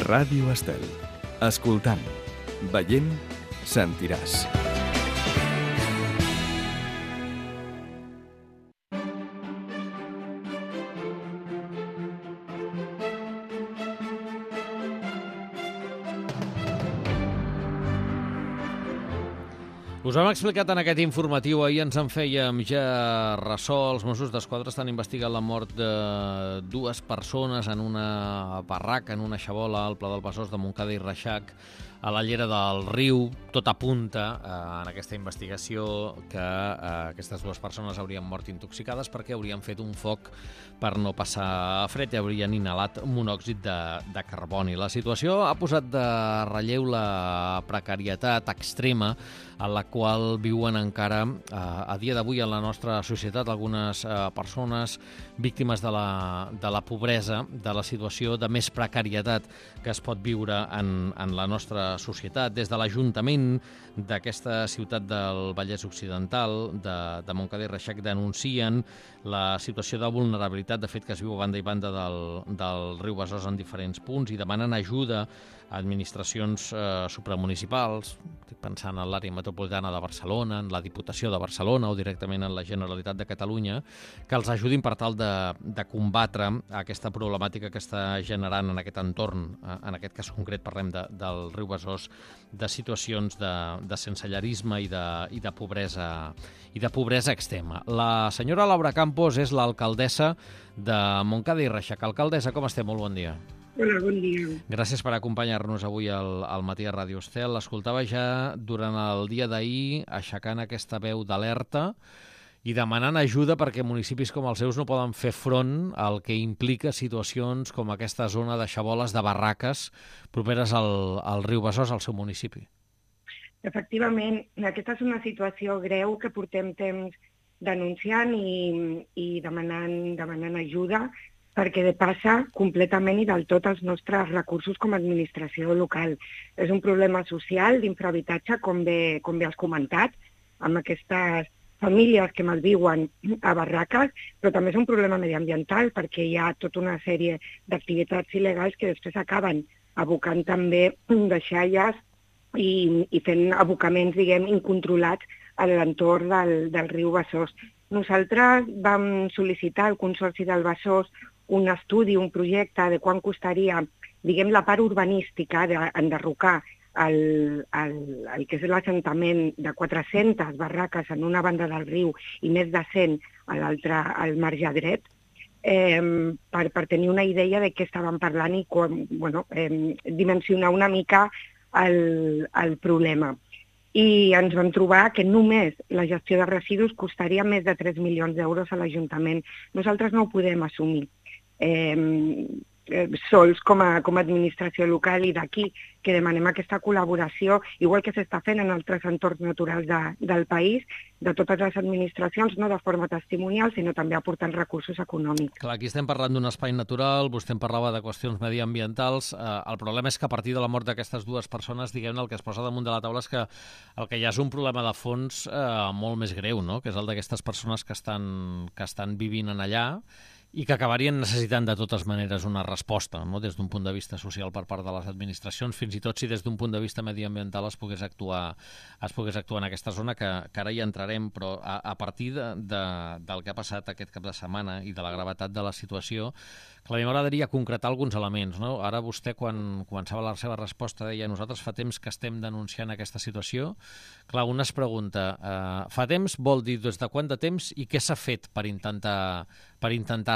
Ràdio Estel. Escoltant, veient, sentiràs. Us hem explicat en aquest informatiu, ahir ens en fèiem ja ressò. Els Mossos d'Esquadra estan investigant la mort de dues persones en una barraca, en una xabola al Pla del Besòs de Montcada i Reixac, a la llera del riu. Tot apunta en aquesta investigació que aquestes dues persones haurien mort intoxicades perquè haurien fet un foc per no passar fred i haurien inhalat monòxid de carboni. La situació ha posat de relleu la precarietat extrema en la qual viuen encara a dia d'avui en la nostra societat algunes persones víctimes de la pobresa, de la situació de més precarietat que es pot viure en la nostra societat. Des de l'Ajuntament d'aquesta ciutat del Vallès Occidental, de Montcada i Reixac, denuncien la situació de vulnerabilitat, de fet, que es viu a banda i banda del riu Besòs en diferents punts i demanen ajuda a administracions supramunicipals. Estic pensant en l'àrea metropolitana de Barcelona, en la Diputació de Barcelona o directament en la Generalitat de Catalunya, que els ajudin per tal de combatre aquesta problemàtica que està generant en aquest entorn, en aquest cas concret parlem del riu Besòs, de situacions de sensellarisme i de pobresa extrema. La senyora Laura Campos és l'alcaldessa de Montcada i Reixac. Alcaldessa, com estem? Molt bon dia. Hola, bon dia. Gràcies per acompanyar-nos avui al matí a Ràdio Estel. L'escoltava ja durant el dia d'ahir aixecant aquesta veu d'alerta i demanant ajuda perquè municipis com els seus no poden fer front al que implica situacions com aquesta zona de xaboles, de barraques properes al riu Besòs, al seu municipi. Efectivament, aquesta és una situació greu que portem temps denunciant i demanant ajuda perquè depassa completament i del tot els nostres recursos com a administració local. És un problema social d'infrahabitatge, com bé has comentat, amb aquestes famílies que malviuen a barraques, però també és un problema mediambiental perquè hi ha tota una sèrie d'activitats il·legals que després acaben abocant també deixalles i fent abocaments, diguem, incontrolats a l'entorn del riu Besòs. Nosaltres vam sol·licitar al Consorci del Besòs un estudi, un projecte de quant costaria, diguem, la part urbanística d'enderrocar el que és l'assentament de 400 barraques en una banda del riu i més de 100 a l'altra, al marge dret, per tenir una idea de què estàvem parlant i dimensionar una mica el problema. I ens vam trobar que només la gestió de residus costaria més de 3 milions d'euros a l'Ajuntament. Nosaltres no ho podem assumir sols com a administració local i d'aquí que demanem aquesta col·laboració, igual que s'està fent en altres entorns naturals del país, de totes les administracions, no de forma testimonial, sinó també aportant recursos econòmics. Clar, aquí estem parlant d'un espai natural, vostè en parlava de qüestions mediambientals. El problema és que a partir de la mort d'aquestes dues persones, diguem-ne, el que es posa damunt de la taula és que el que hi ha és un problema de fons molt més greu, no? Que és el d'aquestes persones que estan vivint en allà i que acabarien necessitant de totes maneres una resposta, no? Des d'un punt de vista social per part de les administracions, fins i tot si des d'un punt de vista mediambiental es pogués actuar en aquesta zona, que ara hi entrarem, però a partir del que ha passat aquest cap de setmana i de la gravetat de la situació, clar, a mi m'agradaria concretar alguns elements, no? Ara vostè, quan començava la seva resposta, deia nosaltres fa temps que estem denunciant aquesta situació. Clar, un es pregunta, fa temps vol dir des de quant de temps i què s'ha fet per intentar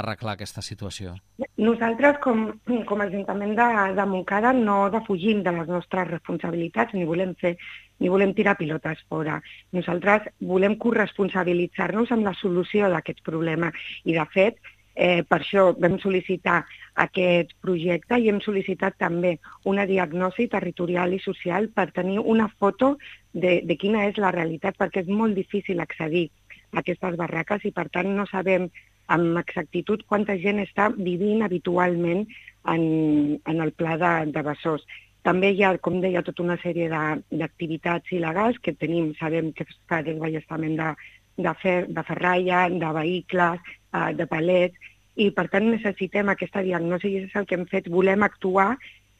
arreglar aquesta situació? Nosaltres, com a Ajuntament de Montcada, no defugim de les nostres responsabilitats, ni volem tirar pilotes fora. Nosaltres volem corresponsabilitzar-nos en la solució d'aquest problema i, de fet, per això vam sol·licitar aquest projecte i hem sol·licitat també una diagnosi territorial i social per tenir una foto de quina és la realitat, perquè és molt difícil accedir a aquestes barraques i, per tant, no sabem amb exactitud quanta gent està vivint habitualment en el Pla de Besòs. També hi ha, com deia, tota una sèrie d'activitats il·legals que sabem que es fa desballestament de ferralla, de vehicles, de palets, i per tant necessitem aquesta diagnosi i és el que hem fet. Volem actuar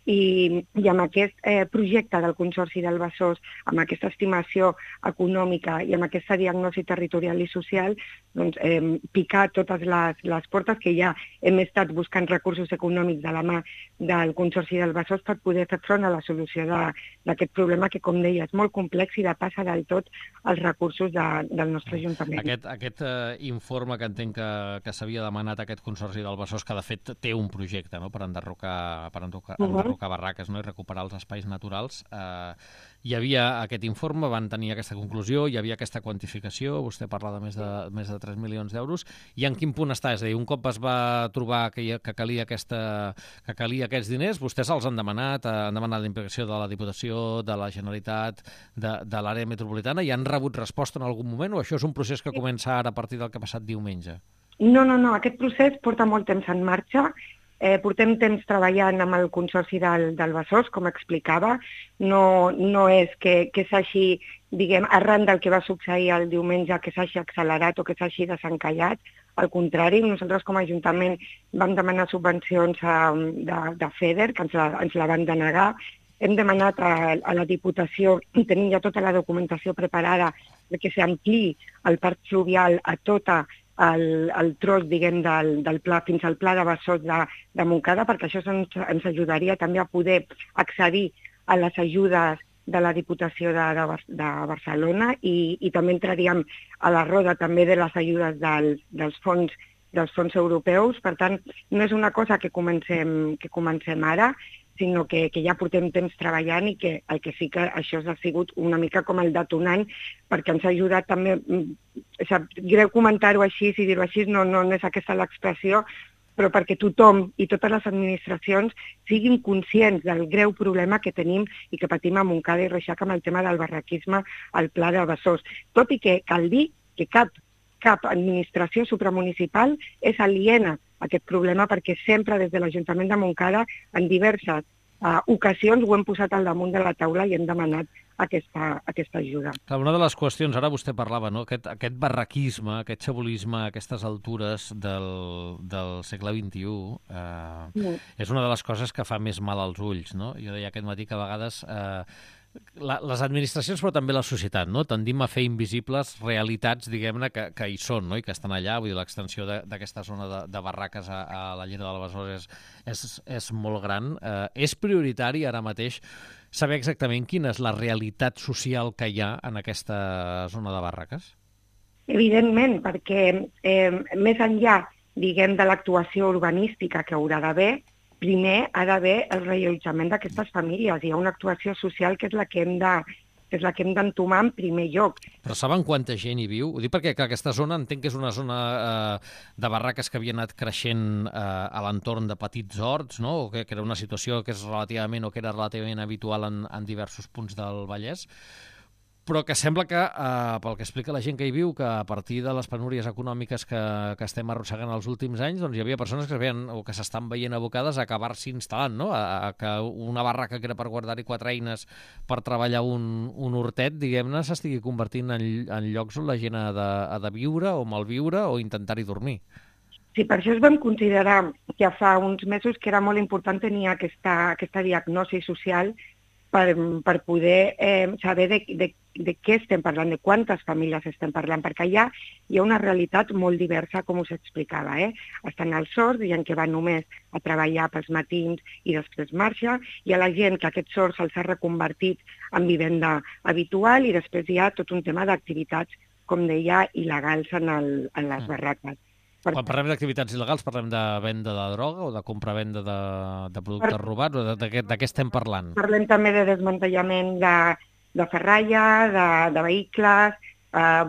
I amb aquest projecte del Consorci del Besòs, amb aquesta estimació econòmica i amb aquesta diagnosi territorial i social, doncs, picar totes les portes que ja hem estat buscant recursos econòmics de la mà del Consorci del Besòs per poder fer front a la solució d'aquest problema que, com deia, és molt complex i depassa del tot els recursos del nostre Ajuntament. Aquest informe que entenc que s'havia demanat a aquest Consorci del Besòs, que de fet té un projecte, no?, per enderrocar barraques, no?, i recuperar els espais naturals. Hi havia aquest informe, van tenir aquesta conclusió, hi havia aquesta quantificació, vostè parla de més de 3 milions d'euros, i en quin punt està? És a dir, un cop es va trobar que calia aquests diners, vostès els han demanat la implicació de la Diputació, de la Generalitat, de l'àrea metropolitana, i han rebut resposta en algun moment, o això és un procés que comença ara a partir del que ha passat diumenge? No, aquest procés porta molt temps en marxa. Portem temps treballant amb el Consorci del Besòs, com explicava. No és que s'hagi, diguem, arran del que va succeir el diumenge, que s'hagi accelerat o que s'hagi desencallat. Al contrari, nosaltres com a Ajuntament vam demanar subvencions de FEDER, que ens la van denegar. Hem demanat a la Diputació, i tenim ja tota la documentació preparada, que s'ampliï el parc fluvial a tota el tros, diguem, del pla fins al pla de Besòs de Montcada, perquè això ens ajudaria també a poder accedir a les ajudes de la Diputació de Barcelona i també entraríem a la roda també de les ajudes dels fons europeus. Per tant, no és una cosa que comencem ara, sinó que ja portem temps treballant i que el que sí que això ha sigut una mica com el detonant, perquè ens ha ajudat també, greu comentar-ho així, si dir-ho així, no és aquesta l'expressió, però perquè tothom i totes les administracions siguin conscients del greu problema que tenim i que patim a Montcada i Reixac amb el tema del barraquisme al Pla de Besòs. Tot i que cal dir que cap administració supramunicipal és aliena a aquest problema, perquè sempre des de l'Ajuntament de Montcada en diverses ocasions ho hem posat al damunt de la taula i hem demanat aquesta ajuda. Clar, una de les qüestions, ara vostè parlava, no?, aquest barraquisme, aquest xabolisme a aquestes altures del segle XXI és una de les coses que fa més mal als ulls, no? Jo deia aquest matí que a vegades les administracions, però també la societat, no?, tendim a fer invisibles realitats, diguem-ne, que hi són, no?, i que estan allà. Vull dir, l'extensió d'aquesta zona de barraques a la Llera del Besòs és molt gran. És prioritari ara mateix saber exactament quina és la realitat social que hi ha en aquesta zona de barraques? Evidentment, perquè més enllà, diguem, de l'actuació urbanística que haurà d'haver, primer ha d'haver el reallotjament d'aquestes famílies. Hi ha una actuació social que és la que hem d'entomar en primer lloc. Però saben quanta gent hi viu? Ho dic perquè aquesta zona entenc que és una zona de barraques que havia anat creixent a l'entorn de petits horts, no?, o que era una situació que és relativament habitual en diversos punts del Vallès, però que sembla que, pel que explica la gent que hi viu, que a partir de les penúries econòmiques que estem arrossegant els últims anys, doncs hi havia persones que s'estan veient abocades a acabar-s'hi instal·lant, no?, a que una barraca que era per guardar-hi 4 eines per treballar un hortet, diguem-ne, s'estigui convertint en llocs on la gent ha de viure o malviure o intentar-hi dormir. Sí, per això es vam considerar ja fa uns mesos que era molt important tenir aquesta diagnosi social per poder saber de què estem parlant, de quantes famílies estem parlant, perquè allà hi ha una realitat molt diversa, com us explicava. Estan els sords, gent que va només a treballar pels matins i després marxa, hi ha la gent que aquest sord se'ls ha reconvertit en vivenda habitual i després hi ha tot un tema d'activitats, com deia, il·legals en les barraques. Quan parlem d'activitats il·legals, parlem de venda de droga o de compra-venda de productes robats? O de què estem parlant? Parlem també de desmantellament de ferralla, de vehicles,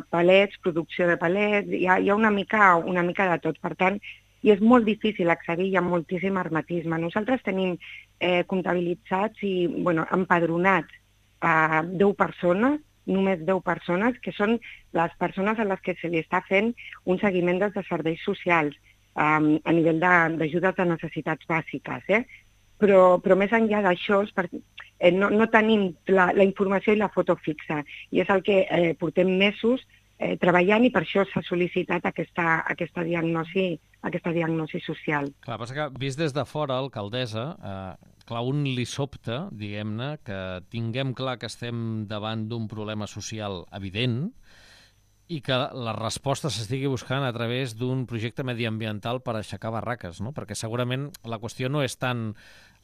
palets, producció de palets, hi ha una mica de tot. Per tant, i és molt difícil accedir, hi ha moltíssim hermetisme. Nosaltres tenim comptabilitzats i empadronats 10 persones, només 10 persones, que són les persones a les que se li està fent un seguiment des de serveis socials a nivell d'ajudes de necessitats bàsiques. Però més enllà d'això, no tenim la informació i la foto fixa, i és el que portem mesos treballant i per això s'ha sol·licitat aquesta diagnosi social. Clar, passa que, vist des de fora, alcaldessa, clar, un li sobta, diguem-ne, que tinguem clar que estem davant d'un problema social evident i que la resposta s'estigui buscant a través d'un projecte mediambiental per aixecar barraques, no? Perquè segurament la qüestió no és tant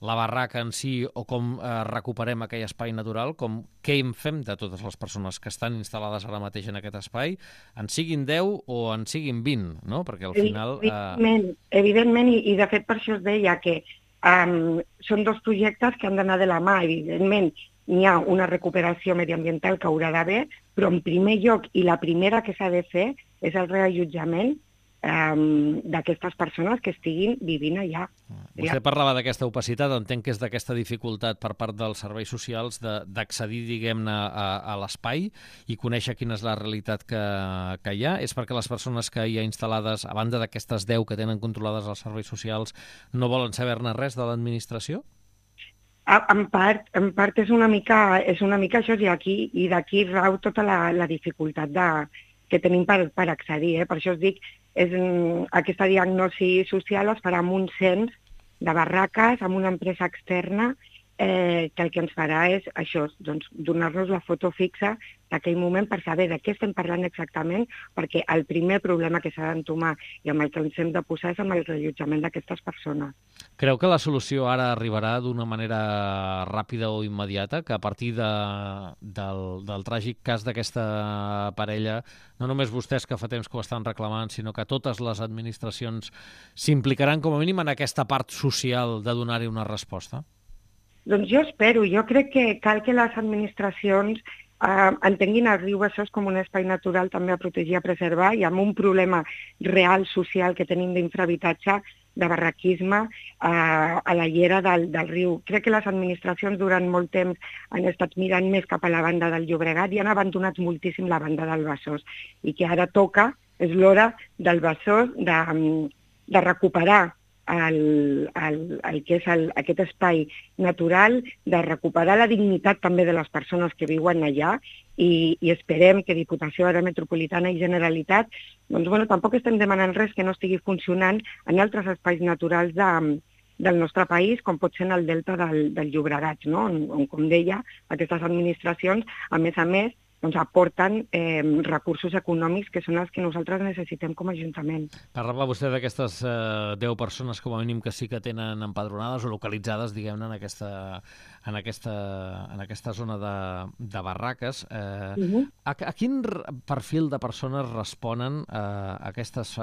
la barraca en si o com recuperem aquell espai natural, com què en fem de totes les persones que estan instal·lades ara mateix en aquest espai, en siguin 10 o en siguin 20, no? Perquè al final... Evidentment, i de fet per això es deia que són dos projectes que han d'anar de la mà, evidentment. N'hi ha una recuperació mediambiental que haurà d'haver, però en primer lloc, i la primera que s'ha de fer, és el reallotjament d'aquestes persones que estiguin vivint allà. Vostè parlava d'aquesta opacitat, entenc que és d'aquesta dificultat per part dels serveis socials d'accedir, diguem-ne, a l'espai i conèixer quina és la realitat que hi ha. És perquè les persones que hi ha instal·lades, a banda d'aquestes 10 que tenen controlades els serveis socials, no volen saber-ne res de l'administració? En part és una mica això, i d'aquí rau tota la dificultat que tenim per accedir. Per això us dic, aquesta diagnosi social es farà amb un cens de barraques, amb una empresa externa, que el que ens farà és això, doncs, donar-nos la foto fixa d'aquell moment per saber de què estem parlant exactament, perquè el primer problema que s'ha d'entomar i amb el que ens hem de posar és amb el reallotjament d'aquestes persones. Creu que la solució ara arribarà d'una manera ràpida o immediata, que a partir del tràgic cas d'aquesta parella, no només vostès que fa temps que ho estan reclamant, sinó que totes les administracions s'implicaran com a mínim en aquesta part social de donar-hi una resposta? Doncs jo espero, jo crec que cal que les administracions entenguin el riu Besòs com un espai natural també a protegir, a preservar, i amb un problema real social que tenim d'infrahabitatge, de barraquisme a la llera del riu. Crec que les administracions durant molt temps han estat mirant més cap a la banda del Llobregat i han abandonat moltíssim la banda del Besòs, i que ara toca, és l'hora del Besòs de recuperar el que és aquest espai natural, de recuperar la dignitat també de les persones que viuen allà, i esperem que Diputació Àrea Metropolitana i Generalitat, doncs bueno, tampoc estem demanant res que no estigui funcionant en altres espais naturals del nostre país, com pot ser en el delta del Llobregat, no? On, com deia, aquestes administracions, a més, doncs aporten recursos econòmics que són els que nosaltres necessitem com a Ajuntament. Parlava vostè d'aquestes 10 persones com a mínim que sí que tenen empadronades o localitzades, diguem-ne, en aquesta zona de barraques. A quin perfil de persones responen aquestes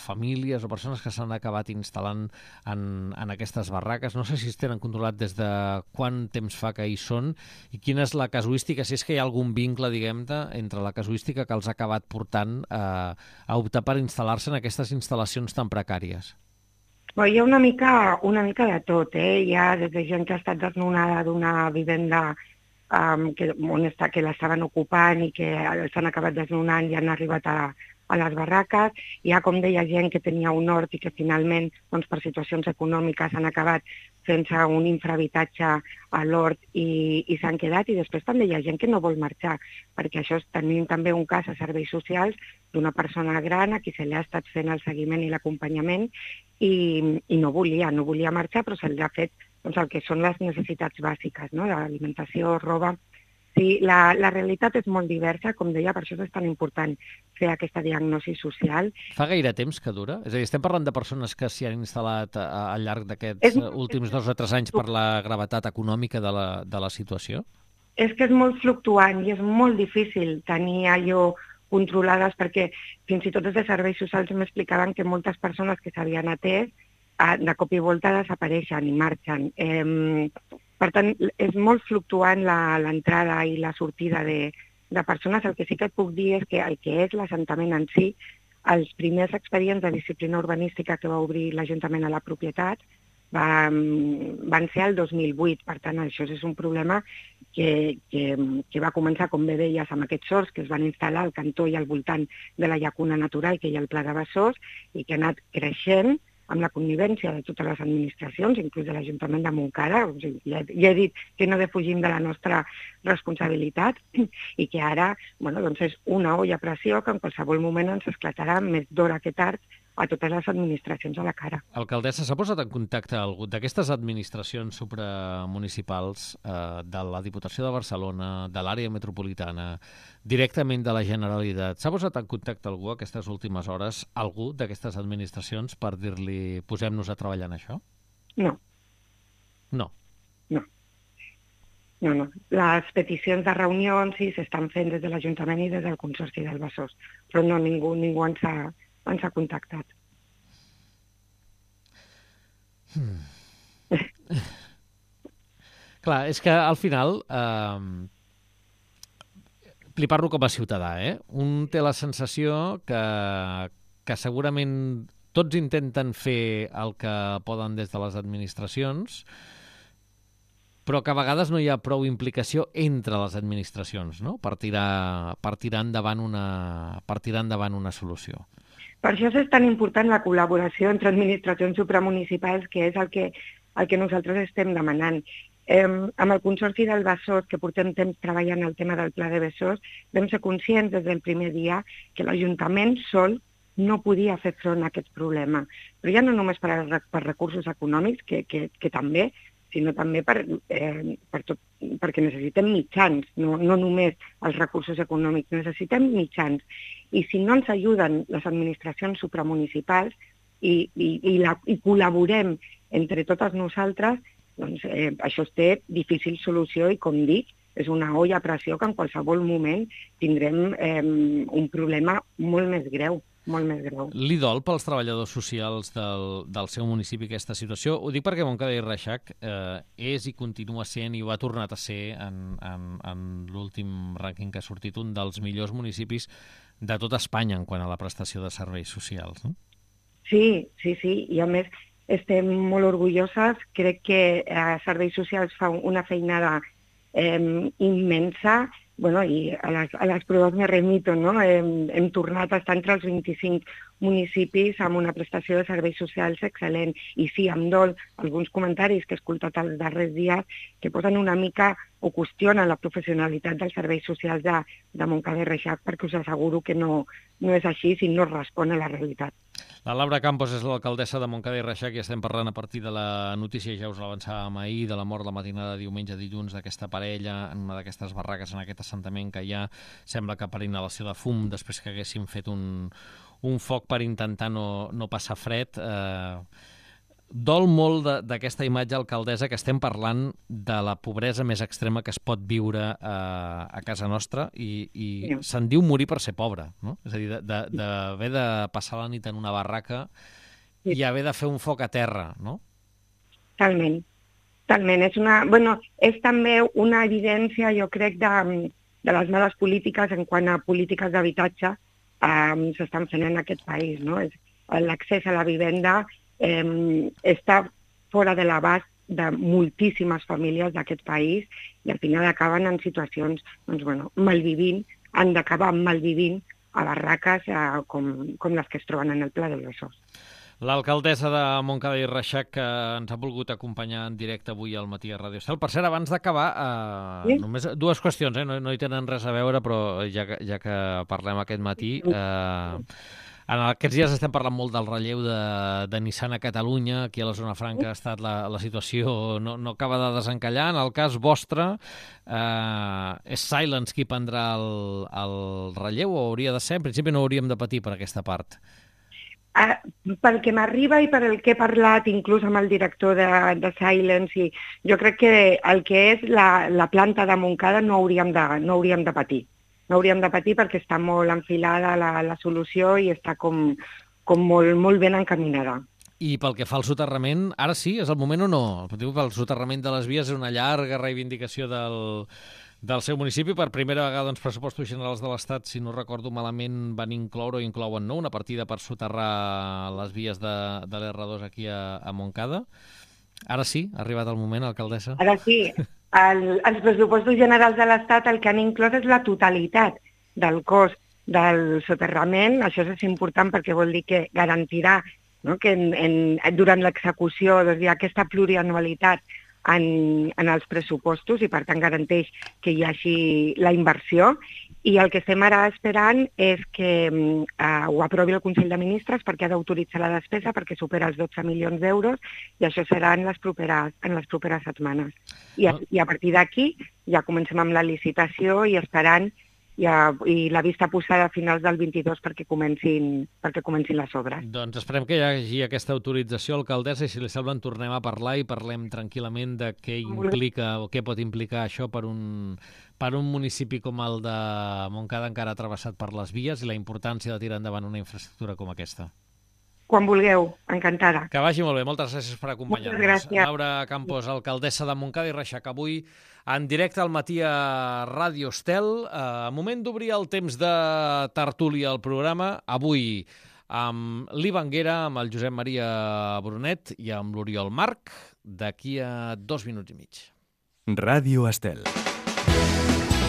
famílies o persones que s'han acabat instal·lant en aquestes barraques? No sé si es tenen controlat des de quant temps fa que hi són i quina és la casuística, si és que hi ha algun vincle, diguem-ne, entre la casuística que els ha acabat portant a optar per instal·lar-se en aquestes instal·lacions tan precàries. Bé, hi ha una mica de tot. Hi ha des de gent que ha estat desnonada d'una vivenda que l'estaven ocupant i que s'han acabat desnonant i han arribat a les barraques. Hi ha, com deia, gent que tenia un hort i que finalment, doncs, per situacions econòmiques han acabat sense un infrahabitatge a l'hort i s'han quedat, i després també hi ha gent que no vol marxar, perquè això tenim també un cas a serveis socials d'una persona gran a qui se li ha estat fent el seguiment i l'acompanyament i no volia marxar, però se li ha fet doncs, el que són les necessitats bàsiques, no? L'alimentació, roba. Sí, la realitat és molt diversa, com deia, per això és tan important fer aquesta diagnosi social. Fa gaire temps que dura? És a dir, estem parlant de persones que s'hi han instal·lat al llarg d'aquests últims 2 o 3 anys per la gravetat econòmica de la situació? És que és molt fluctuant i és molt difícil tenir allò controlades, perquè fins i tot des de serveis socials m'explicaven que moltes persones que s'havien atès de cop i volta desapareixen i marxen. Per tant, és molt fluctuant l'entrada i la sortida de persones. El que sí que et puc dir és que el que és l'assentament en si, els primers expedients de disciplina urbanística que va obrir l'Ajuntament a la propietat van ser el 2008. Per tant, això és un problema que va començar, com bé deies, amb aquests horts que es van instal·lar al cantó i al voltant de la llacuna natural que hi ha al Pla de Besòs i que ha anat creixent amb la connivència de totes les administracions, inclús de l'Ajuntament de Montcada. Ja he dit que no defugim de la nostra responsabilitat i que ara doncs és una olla a pressió que en qualsevol moment ens esclatarà més d'hora que tard a totes les administracions a la cara. Alcaldessa, s'ha posat en contacte algú d'aquestes administracions supramunicipals, de la Diputació de Barcelona, de l'àrea metropolitana, directament de la Generalitat? S'ha posat en contacte algú aquestes últimes hores, algú d'aquestes administracions, per dir-li posem-nos a treballar en això? No. No. No. Les peticions de reunions sí s'estan fent des de l'Ajuntament i des del Consorci del Besòs, però no, ningú ens ha contactat. Clar, és que al final, li parlo com a ciutadà, un té la sensació que segurament tots intenten fer el que poden des de les administracions, però que a vegades no hi ha prou implicació entre les administracions, no?, per tirar endavant una solució. Per això és tan important la col·laboració entre administracions supramunicipals, que és el que nosaltres estem demanant. Amb el Consorci del Besòs, que portem temps treballant el tema del Pla de Besòs, vam ser conscients des del primer dia que l'Ajuntament sol no podia fer front a aquest problema. Però ja no només per recursos econòmics, que també, sinó també perquè necessitem mitjans, no només els recursos econòmics, necessitem mitjans. I si no ens ajuden les administracions supramunicipals i col·laborem entre totes nosaltres, doncs això té difícil solució i, com dic, és una olla a pressió que en qualsevol moment tindrem un problema molt més greu. Molt més greu. Li dol pels treballadors socials del seu municipi aquesta situació? Ho dic perquè Montcada i Reixac és i continua sent, i ho ha tornat a ser en l'últim rànquing que ha sortit, un dels millors municipis de tot Espanya en quant a la prestació de serveis socials, no? Sí, i a més estem molt orgulloses. Crec que Serveis Socials fa una feinada immensa. Bueno, i a les proves me remito, no? Hem tornat a estar entre els 25 municipis amb una prestació de serveis socials excel·lent. I sí, em dol alguns comentaris que he escoltat els darrers dies que posen una mica o qüestionen la professionalitat dels serveis socials de Montcada i Reixac, perquè us asseguro que no és així si no respon a la realitat. La Laura Campos és l'alcaldessa de Montcada i Reixac i estem parlant a partir de la notícia, ja us l'avançàvem ahir, de la mort la matinada de diumenge a dilluns d'aquesta parella en una d'aquestes barraques, en aquest assentament que hi ha. Sembla que per inhalació de fum, després que haguessin fet un foc per intentar no passar fred. Dol molt d'aquesta imatge, alcaldessa, que estem parlant de la pobresa més extrema que es pot viure a casa nostra i se'n diu morir per ser pobre, no? És a dir, d'haver de passar la nit en una barraca i haver de fer un foc a terra, no? Talment. És també una evidència, jo crec, de les males polítiques en quant a polítiques d'habitatge s'estan fent en aquest país, no? L'accés a la vivenda està fora de l'abast de moltíssimes famílies d'aquest país i al final acaben en situacions, malvivint, han d'acabar malvivint a barraques com les que es troben en el Pla del Besòs. L'alcaldessa de Montcada i Reixac, que ens ha volgut acompanyar en directe avui al matí a Ràdio Estel. Per cert, abans d'acabar, només dues qüestions, no hi tenen res a veure, però ja que parlem aquest matí... En aquests dies estem parlant molt del relleu de Nissan a Catalunya. Aquí a la zona franca ha estat la situació, no acaba de desencallar. En el cas vostre, és Silence qui prendrà el relleu o hauria de ser? En principi no hauríem de patir per aquesta part. Pel que m'arriba i per el que he parlat inclús amb el director de Silence, i jo crec que el que és la planta de Montcada no hauríem de patir. No hauríem de patir perquè està molt enfilada la solució i està com molt ben encaminada. I pel que fa al soterrament, ara sí, és el moment o no? El soterrament de les vies és una llarga reivindicació del seu municipi. Per primera vegada els pressupostos generals de l'Estat, si no recordo malament, van incloure o inclouen una partida per soterrar les vies de l'R2 aquí a Montcada. Ara sí, ha arribat el moment, alcaldessa? Ara sí. Els pressupostos generals de l'Estat el que han inclòs és la totalitat del cost del soterrament. Això és important perquè vol dir que garantirà, no?, que durant l'execució hi ha aquesta plurianualitat en els pressupostos i per tant garanteix que hi hagi la inversió I el que estem ara esperant és que ho aprovi el Consell de Ministres perquè ha d'autoritzar la despesa perquè supera els 12 milions d'euros i això serà en les properes setmanes. I a partir d'aquí ja comencem amb la licitació i esperant i la vista posada a finals del 22 perquè comencin les obres. Doncs esperem que hi hagi aquesta autorització, alcaldessa, i si li sembla en tornem a parlar i parlem tranquil·lament de què implica o què pot implicar això per un municipi com el de Montcada encara travessat per les vies i la importància de tirar endavant una infraestructura com aquesta. Quan vulgueu, encantada. Que vagi molt bé, moltes gràcies per acompanyar-nos. Moltes gràcies. Laura Campos, alcaldessa de Montcada i Reixac, avui en directe al matí a Ràdio Estel. Moment d'obrir el temps de tertúlia al programa. Avui amb l'Ivan Guera, amb el Josep Maria Brunet i amb l'Oriol Marc, d'aquí a 2 minuts i mig. Ràdio Estel.